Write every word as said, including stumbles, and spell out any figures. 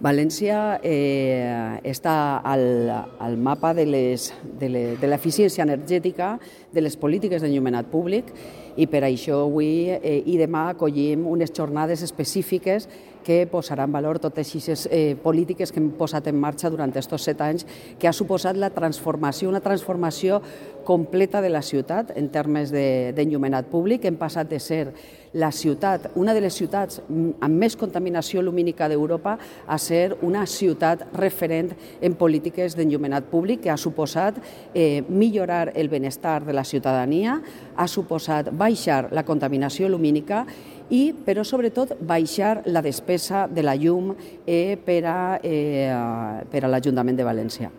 València eh, està al, al mapa de l'eficiència energètica de les polítiques d'enllumenat públic i per això avui eh, i demà acollim unes jornades específiques que posaran en valor totes aquestes eh, polítiques que hem posat en marxa durant aquests set anys, que ha suposat la transformació, una transformació completa de la ciutat en termes d'enllumenat públic. Hem passat de ser la ciutat, una de les ciutats amb més contaminació lumínica d'Europa, a ser una ciutat referent en polítiques d'enllumenat públic, que ha suposat eh, millorar el benestar de la ciutadania, ha suposat baixar la contaminació lumínica i, però sobretot, baixar la despesa de la llum eh, per a, eh, per a l'Ajuntament de València.